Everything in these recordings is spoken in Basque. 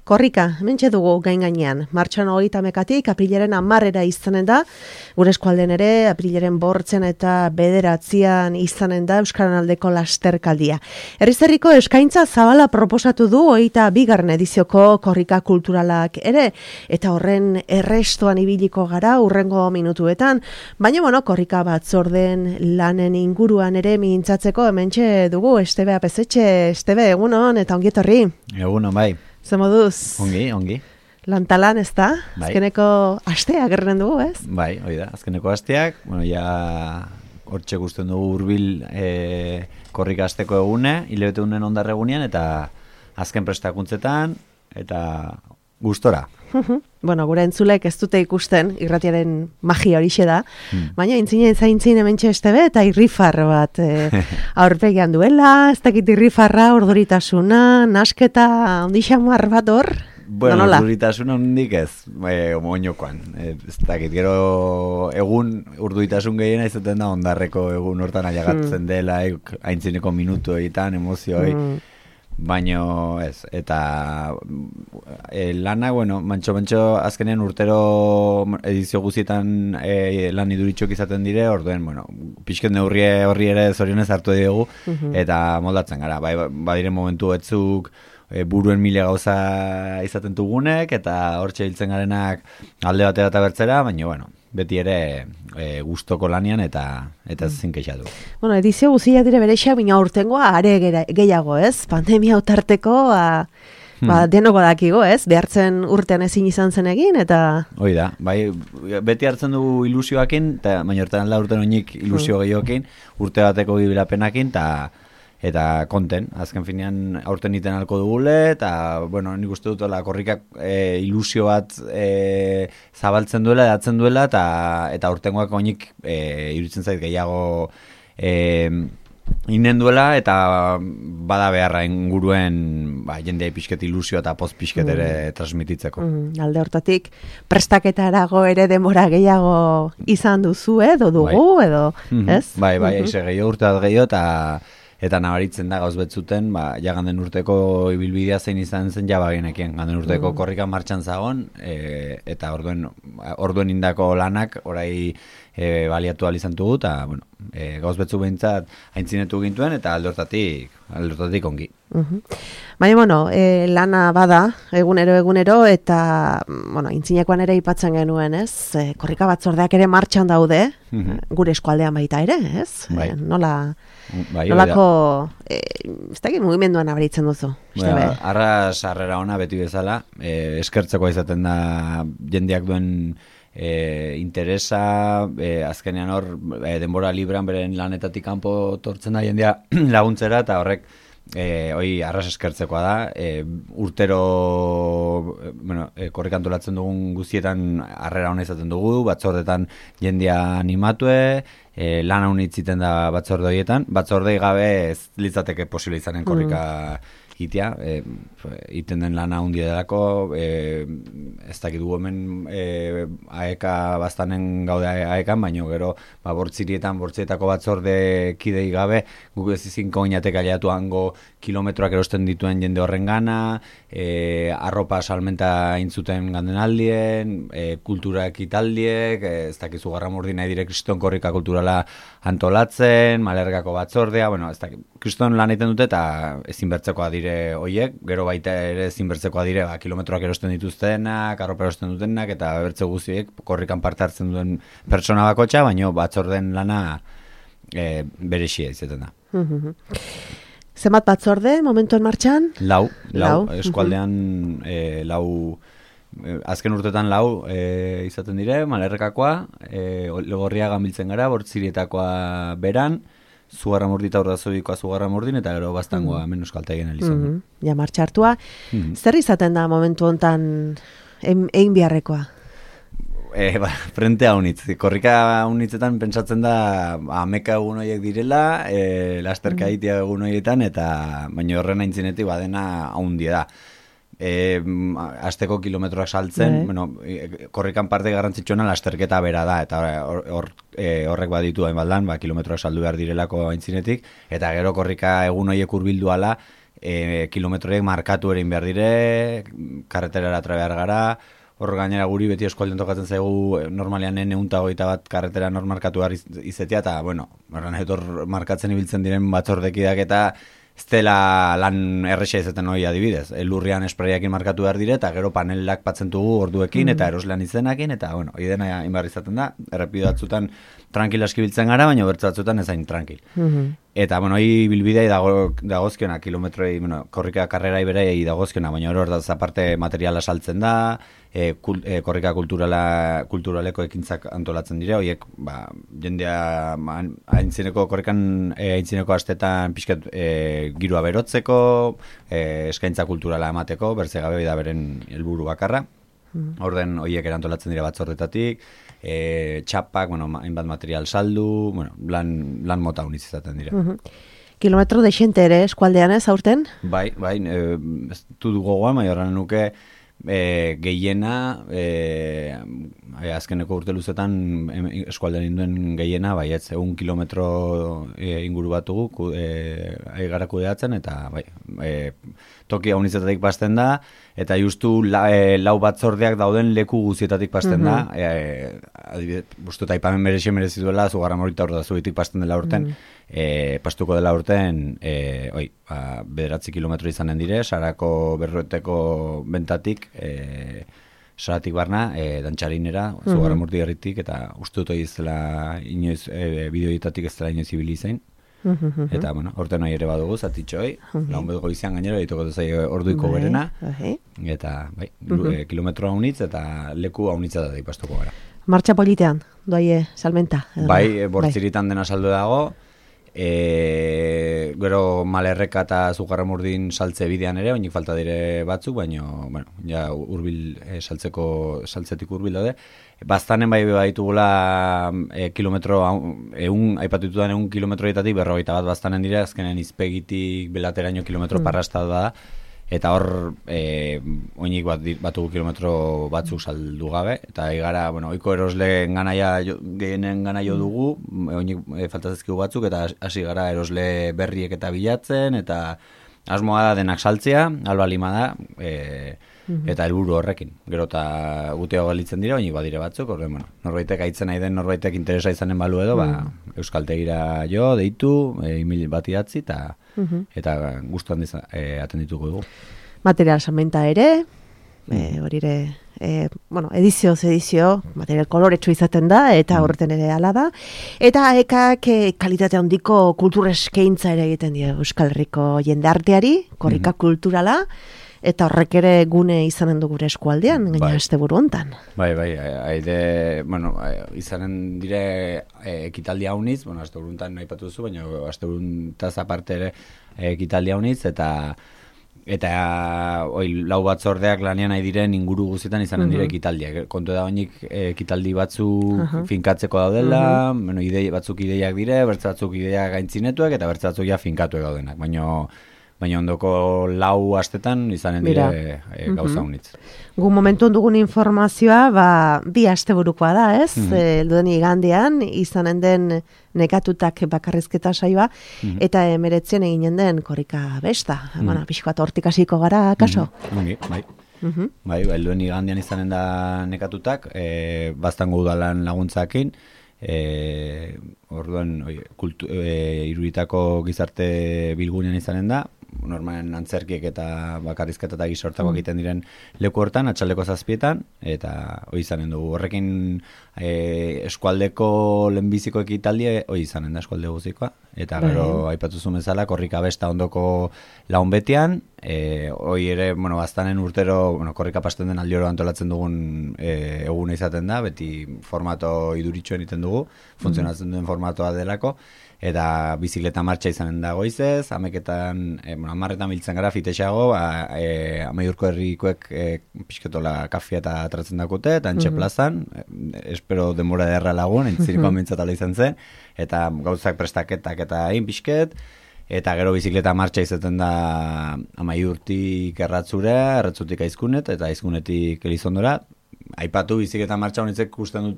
Korrika, hementxe dugu gain-gainean. Martxoan 30 aprilaren 10 izanen da, gure eskualden ere, aprilaren 8 eta 9 izanen da Euskaran aldeko lasterkaldia. Herriz-herriko eskaintza zabala proposatu du 22. edizioko korrika kulturalak ere, eta horren errestoan ibiliko gara urrengo minutuetan, baina korrika batzorden lanen inguruan ere mintzatzeko hementxe dugu Estebe Apezetxe. Estebe, egunon eta ongi etorri. Egunon, bai. Ze moduz? Ongi. Lantalan, ez da? Bai. Azkeneko asteak erren dugu, ez? Bai, hori da. Azkeneko asteak, ja hortxe gusten dugu hurbil korrika asteko egune, hilabete unen ondarre egunean, eta azken prestakuntzetan, eta gustora. Gure entzulek ez dute ikusten, irratiaren magia horixe da, baina intzinen zaintzin hementxe Estebe eta irrifar bat aurpegian duela, ez dakit irrifarra, orduritasuna, nasketa, ondixamar bat hor? Bueno, urduritasuna hondik ez, oinokoan. Ez dakit, gero egun urduritasun gehiena izaten da ondarreko egun hortan aiagatzen dela, aintzineko minutuetan, emozioi, baino ez, eta lana, mantxo azkenean urtero edizio guzietan lan iduritxok izaten dire, orduen, pixket neurri horri ere zorionez hartu dugu, eta moldatzen gara, badire momentu etzuk, buruen mila gauza izaten dugunek, eta hortxe hiltzen garenak alde batera eta bertzera, baina, beti ere gustoko lanian eta ezin kexatu. Edizio guztiak dire berexa, baina aurtengoa are gehiago, ez? Pandemia utarteko, denoko dakigo, ez? Behartzen urtean ezin izan zen egin, eta... Hoi da, bai, beti hartzen dugu ilusioakin, baina urtean urten oinik ilusio gehiokin, urte bateko gibilapenakin, eta konten, azken finean aurten iten alko dugule, eta, nik uste dut korrikak ilusio bat zabaltzen duela, edatzen duela, eta aurtengoak oinik iruditzen zait gehiago inen duela, eta bada beharra inguruen jendea pixket ilusio eta post pixket ere transmititzeko. Alde hortatik, prestaketarago ere denbora gehiago izan duzu, edo dugu, edo, ez? Bai, eize gehiago, urte bat gehiago, eta nabaritzen da gauz betzuten, ganden urteko ibilbidea zein izan zen jabagenekien. Ganden urteko korrika martxan zagon, eta orduen indako lanak orai baliatu izan dugu, eta gauz betzuk behintzat aintzinetu gintuen, eta alde hortatik ongi. Baina, lana bada, egunero, eta, aintzinekoan ere ipatzen genuen, ez? Korrika batzordeak ere martxan daude, gure eskualdean baita ere, ez? Nolako, ez dakit mugimenduan abaritzen duzu? Arras harrera ona beti bezala, eskertzeko izaten da jendeak duen interesa, azkenean hor denbora libran beren lanetatik kanpo tortzen da jendea laguntzera, eta horrek arras eskertzekoa da, urtero korrika antolatzen dugun guztietan harrera ona izaten dugu, batzordetan jendea animatue, lana unitziten da batzorde horietan, batzordei gabe ez litzateke posible izanen korrika itea, iten den lana hundi delako, ez dakit gu hemen aeka bastanen gaude aekan, baina gero bortzietako batzorde kidei gabe, guk ez izinko oinatek aliatu hango kilometroak erosten dituen jende horren gana, arropa salmenta intzuten ganden aldien, kulturak italdiek, ez dakit Zugarramurdi nahi dire kriston korrika kulturala antolatzen, Malergako batzordea, ez dakit, kriston lan egiten dute eta ezin bertzekoa dire hoiek, gero baita ere ezin bertzekoa dire, kilometroak erosten dituztenak, arropa erosten dutenak, eta bertze guztiek korrikan parte hartzen duen pertsona bakotxa, baina batzorden lana berexia izaten da. Zenbat batzorde, momentuen martxan? Lau, eskualdean azken urtetan lau izaten dire, Malerrekakoa, Legorriagan biltzen gara, Bortzirietakoa beran, Zugarramurdi eta Urdazubikoa Zugarramurdin, eta gero Baztangoa Euskaltegien elizan. Ja, martxartua. Zer izaten da momentu hontan egin beharrekoa? Frentea unitz. Korrika unitzetan pentsatzen da ameka egun horiek direla, lasterka egitea egun horietan, eta baina horren aintzinetik badena haundia da. Asteko kilometroak saltzen, korrikan parte garrantzitsuena lasterketa bera da, eta horrek baditu hainbaldan, kilometroak saldu behar direlako aintzinetik, eta gero korrika egun horiek hurbildu ala, kilometroek markatu erin behar dire, karreterara tra behar gara, hor gainera guri beti eskualden tokatzen zaigu normalean 121 karretera markatu behar izetia, eta, bueno, hor markatzen ibiltzen diren batzordekideak eta ez dela lan erresa izaten hori adibidez. Lurrian espraiakin markatu behar dire, eta gero panelak patzentugu orduekin, eta eroslean izenakin, eta, bueno, hori dena inbar izaten da, errepido batzutan tranquilaski biltzen gara, baina bertze batzutan ezain tranquil. Eta, bueno, hori bilbidei dagozkiona, kilometroi, bueno, korrika karrerai berei dagozkiona, baina hori hor aparte materiala saltzen da, korrika kulturaleko ekintzak antolatzen dire, horiek, jendea korrikan aintzineko astetan pixkat girua berotzeko, eskaintza kulturala emateko, berze gabe da beren helburu bakarra. Orden horiek erantolatzen dira batzordetatik, txapak, bueno, hainbat material saldu, bueno, lan mota uniz izaten dira. Kilometro dexente ere eskualdean ez aurten? Bai, ez du gogoan, bai horren nuke gehiena, azkeneko urte luzetan eskualdean induen gehiena, bai, ez, 1 kilometro inguru batugu gara kudeatzen, eta bai, toki haunizetatik pasten da, eta justu lau batzordeak dauden leku guzietatik pasten da, adibidez, bustu eta ipamen merezi duela, zugarra morita hor da zuetik pasten dela urten, pastuko dela urten, 9 kilometro izanen dire, Sarako berroeteko bentatik, Saratik barna, dantxarinera, zugarra morti herritik, eta uste dut izela inoiz, bideoetatik ez dela inoiz ibili zain. Eta, bueno, orte nahi ere badugu, zatitxoi, laun bezgo izan gainera, ditoko duzai orduiko berena, eta, bai, kilometro haunitz, eta leku haunitza da ipastuko gara. Martxa politean, doaie salmenta? Bai, bortziritan dena saldu dago, gero Malerreka eta Zugarramurdin saltze bidean ere, oinik falta dire batzuk, baina, bueno, ja urbil, saltzetik urbil daude. Baztanen bai baitugula kilometro, aipatu ditudan 1 kilometroetatik 41 baztanen dira, azkenen izpegitik belateraino kilometro parrasta da, eta hor oinik batugu kilometro batzuk saldu gabe, eta igara, bueno, oiko erosleen gehienen ganaio dugu, oinik faltazezkigu batzuk, eta hasi gara erosle berriek eta bilatzen, eta asmoa da denak saltzea, alba lima da, eta helburu horrekin. Gero eta guteago galitzen dira, oinik badire batzuk, horren, bueno, norbaitek aitzen nahi den, norbaitek interesa izanen balu edo, Euskaltegira jo, deitu, email bat idatzi, eta gustuan atendituko dugu. Material salmenta ere, hori ere, bueno, edizio, material koloretsu izaten da, eta horreten ere ala da. Eta ekak kalitate handiko kultur eskaintza ere egiten dira Euskal Herriko jendarteari, korrika kulturala, eta horrek ere gune izanen du gure eskualdean, gaina asteburu hontan. Bai, bueno, izanen dire ekitaldi hauniz, bueno, asteburu hontan nahi patu duzu, baina asteburu hontaz aparte ere ekitaldi hauniz, eta lau batzordeak lanean nahi diren inguru guztietan izanen dire ekitaldiak. Kontu da oinik ekitaldi batzuk finkatzeko daudela, bueno, batzuk ideiak dire, bertze batzuk ideiak gaintzinetuak, eta bertze batzuk ja finkatuek daudenak, baina ondoko lau astetan izanen dire gauza unitz. Gu momentu dugun informazioa, bi asteburukoa da, ez? Elduden igandean, izanen den nekatutak bakarrizketa saioa, eta 19 eginen den korrika besta. Bueno, pixko bat hortik hasiko gara, kaso? Bai, elduden igandean izanen da nekatutak, baztango udalan laguntzakin, orduan iruritako gizarte bilgunean izanen da, normalen antzerkiek eta bakarrizketa eta gizortakoak egiten diren leku hortan, atxaldeko 7:00, eta hori izanen dugu. Horrekin eskualdeko lehenbiziko ekitaldi hori izanen da eskualde guzikoa, eta gero aipatuzun bezala korrika besta ondoko laun betian, hori ere, bueno, baztanen urtero, bueno, korrika pasten den aldioro antolatzen dugun eguna izaten da, beti formato iduritxoen egiten dugu, funtzionatzen duen formatoa delako, eta bizikleta martxa izanen da goizez, 10:00 biltzen gara fitexago, Amaiurko herrikoek pixketola kafia eta atratzen dakute, eta Antxe plazan, espero denbora derra lagun, entzirikoan bintzatala izan zen, eta gauzak prestaketak eta hain pixket, eta gero bizikleta martxa izaten da Amaiurtik erratzutik aizkunet, eta aizkunetik Elizondora. Aipatu bizikleta martxa honitzek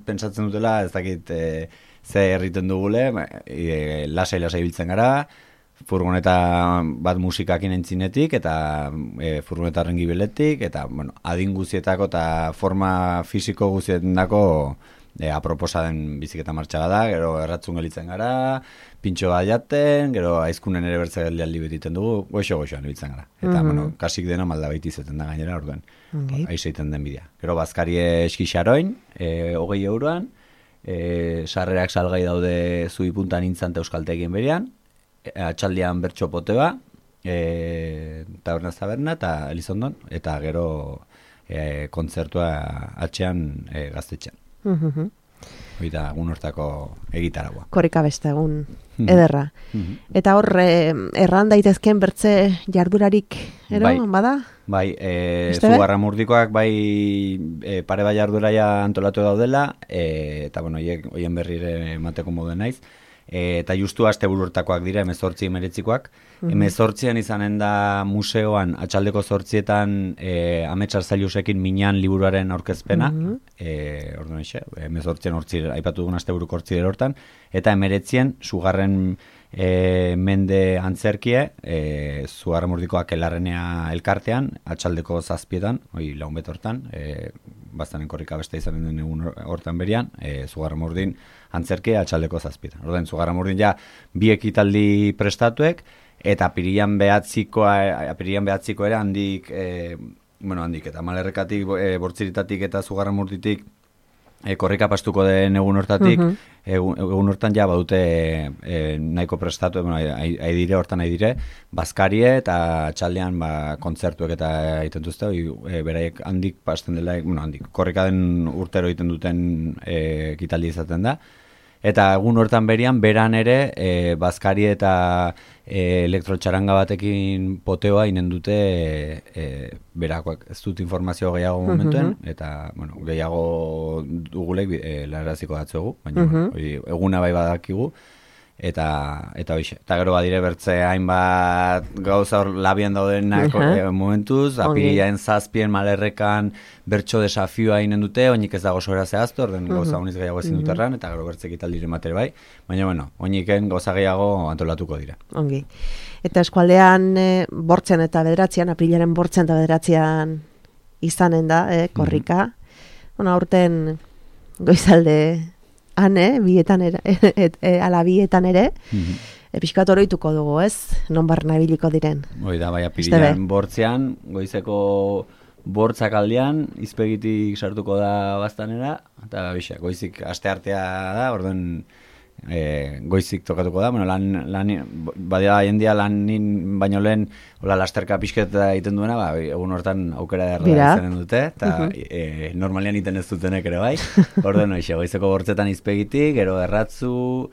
pentsatzen dutela, ez dakit ze erriten dugule, lasai biltzen gara, furgoneta bat musikakin entzinetik, eta furgoneta horren gibeletik, eta, bueno, adin guzietako eta forma fisiko guzietako aproposa den biziketa martxa da, gero erratzun gelitzen gara, pintxo bat jaten, gero aizkunen ere bertza geldialdi betiten dugu, goxo-goxoan ibiltzen gara. Eta, bueno, kasik dena malda baiti izeten da gainera, orduen, aizeiten den bidea. Gero bazkarie eskixaroin, 20 euroan, sarrerak salgai daude Zubi puntan intzan eta euskaltegien berian, atxaldian bertso pote ba, taberna eta Elizondon, eta gero kontzertua atxean gaztetxean. Oita, egun hortako egitaragua. Korrika beste egun ederra. Eta hor, erran daitezken bertze jardurarik, bada? Bai, Zugarramurdikoak pare bai jarduraia antolatu daudela, eta, bueno, hoien berrire emateko modu naiz. Eta justu asteburu hortakoak dira, 18-19koak. 18an izanen da museoan, atxaldeko 8etan Ametsar Zailusekin Minan liburuaren aurkezpena, orduan eixe, 18an aipatu dugun asteburuko hortzire hortan, eta 19an Sugarren mende antzerkie, Zugarramurdikoak elarrenea elkartean, atxaldeko 7etan, lagun bet hortan, bastanen korrika beste izanen den egun hortan berian, Zugarramurdin antzerke atxaldeko 7etan. Orduan, Zugarramurdin ja bi ekitaldi prestatuek, eta apirilan behatziko ere handik, eta Malerrekatik, Bortziritatik eta Zugarramurditik korrika pastuko den egun hortatik, egun hortan ja badute nahiko prestatu, haidire, hortan haidire, bazkarie eta atxaldean kontzertuek eta egiten duzte, beraiek handik pasten dela, korrika den urtero egiten duten ekitaldi izaten da. Eta egun hortan berian, beran ere, bazkari eta elektrotxaranga batekin poteoa inen dute berakoak. Ez dut informazio gehiago momentuen, eta gehiago dugulek laraziko datzuegu, baina eguna bai badakigu. Eta hoxe. Eta gero badire bertze hainbat gauza hor labian daudenak momentuz, apirilaen 7 Malerrekan bertso desafioa inen dute, oinik ez dago sobera zehaztu, orden gauza honiz gehiago ezin duterran, eta gero bertze ekitaldire matere bai, baina oiniken gauza gehiago antolatuko dira. Ongi. Eta eskualdean bortzen eta bederatzean, aprilaren bortzen eta bederatzean izanen da, korrika. Aurten goizalde bietan ala bietan ere, pixkat oroituko dugu, ez? Non barna ibiliko diren. Oida, bai, apirilan bortzean, goizeko bortzak aldean, izpegitik sartuko da bastanera, eta goizik asteartea da, orduan goizik tokatuko da, badia jendia lanin baino lehen lasterka pixket egiten duena, egun hortan aukera derra izanen dute, eta normalean iten ez dutenek ere bai, orduan goizeko bortzetan izpegitik, gero erratzu,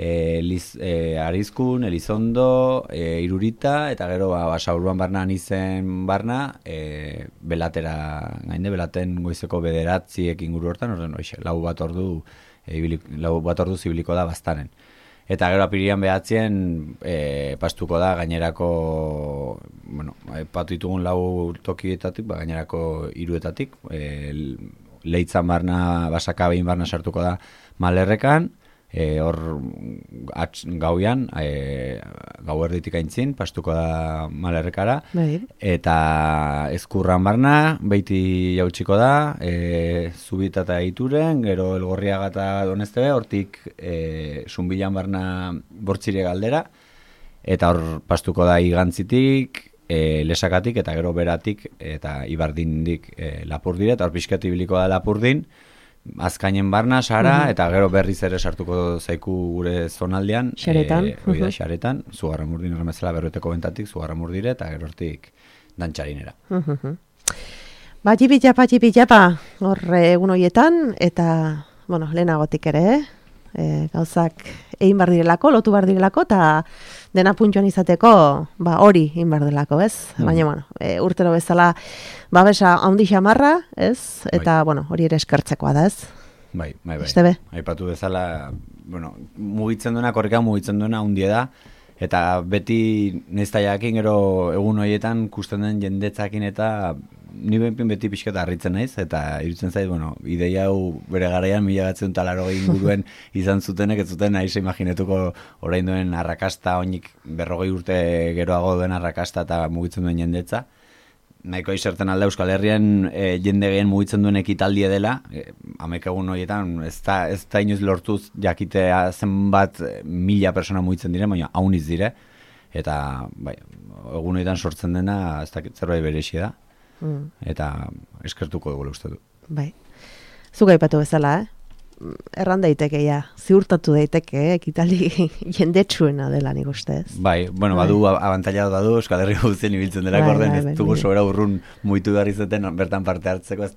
Arizkun, Elizondo, Irurita, eta gero Basaburuan barna izen barna, belatera gainde, belaten goizeko 9 inguru hortan, orduan lau bat ordu zibiliko da bastanen. Eta gero apirian behatzien pastuko da gainerako, patu ditugun 4 tokietatik, gainerako 3etatik, Leitzan barna, Basaka behin barna sartuko da Malerrekan, hor gauian, gau erditik aintzin, pastuko da Malerrekara, eta Ezkurran barna, beiti jautsiko da, Zubita eta Ituren, gero Elgorriaga eta Donestebe, hortik Zunbilan barna Bortzire galdera, eta hor pastuko da Igantzitik, Lesakatik, eta gero Beratik, eta Ibardindik Lapurdire, eta hor pixkatu ibiliko da Lapurdin, Azkainen barna, Sara, eta gero berriz ere sartuko zaiku gure zonaldean. Xaretan. Xaretan, Zugarramurdin horremezela berroeteko bentatik, Zugarramurdire, eta gero hortik dantxarinera. Patxipitxapa, hor egun horietan, eta, lehenagotik ere, gauzak egin bar direlako, lotu bar direlako, eta dena puntxoan izateko, hori egin bar delako, ez? Baina, urtero bezala, babesa handi xamarra, ez? Eta, hori ere eskertzekoa da, ez? Bai. Aipatu bezala, mugitzen duena, korrika mugitzen duena hundie da, eta beti neztaiakin gero egun horietan kusten den jendetzakin eta ni beti pixketa harritzen naiz, eta irutzen zait, bueno, ideia hau bere garaian 1980 inguruen izan zutenek, ez zuten nahi imaginetuko orain duen arrakasta, oinik 40 urte geroago duen arrakasta eta mugitzen duen jendetza. Nahiko iserten alda Euskal Herrian jende gehien mugitzen duen ekitaldie dela, 11 egun horietan ez da inoiz lortuz jakitea zenbat 1000 persona mugitzen dire, baina hauniz dire, eta bai, egun horietan sortzen dena ez dakit zerbait berexia da, eta eskertuko dugu uste du. Bai, zuk aipatu bezala, erran daiteke ziurtatu daiteke, ekitaldi jendetsuena dela nik ustez. Bai, bueno, badu abantaila badu Euskal Herri guztien ibiltzen dela orden, ez dugu sobera urrun muitu behar izaten bertan parte hartzeko,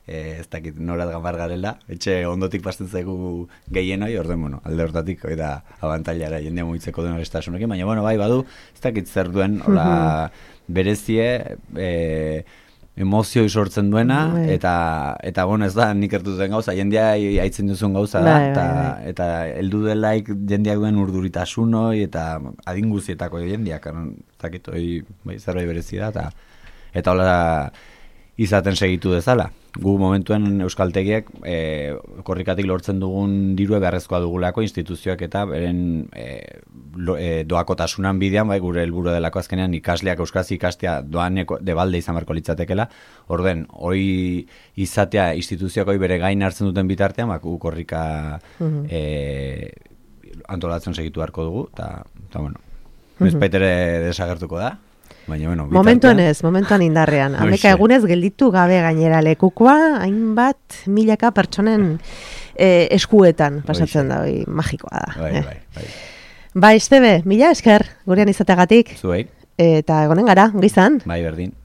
ez dakit norat gambar garela, etxe ondotik pasten zaigu gehienoi, orden, alde hortatik da abantailara jendea mugitzeko duen arestasunekin, baina, bai, badu, ez dakit zer duen, hola, berezie, emozioi sortzen duena, eta bueno, ez da, nik ertuten gauza, jendea haitzen duzun gauza da, eta heldu delaik jendeak duen urduritasunoi, eta adinguzietako jendeak, zakit, zerbait berezi da, eta hola izaten segitu dezala. Gu momentuen euskaltegiak korrikatik lortzen dugun dirue beharrezkoa dugulako instituzioak eta beren doakotasunan bidean, bai, gure helburu delako azkenean ikasleak euskaraz ikastea doaneko debalde izan beharko litzatekela. Orden, hoi izatea instituzioak hoi bere gain hartzen duten bitartean, gu korrika antolatzen segitu beharko dugu, eta bueno, bezpaitere desagertuko da. Baina, bueno, momentuan indarrean. Ameka egunez gelditu gabe gainera lekukoa, hainbat milaka pertsonen eskuetan pasatzen da, magikoa da. Bai, Estebe, mila esker, gurean izateagatik. Zuei. Eta egonen gara, ongi izan. Bai, berdin.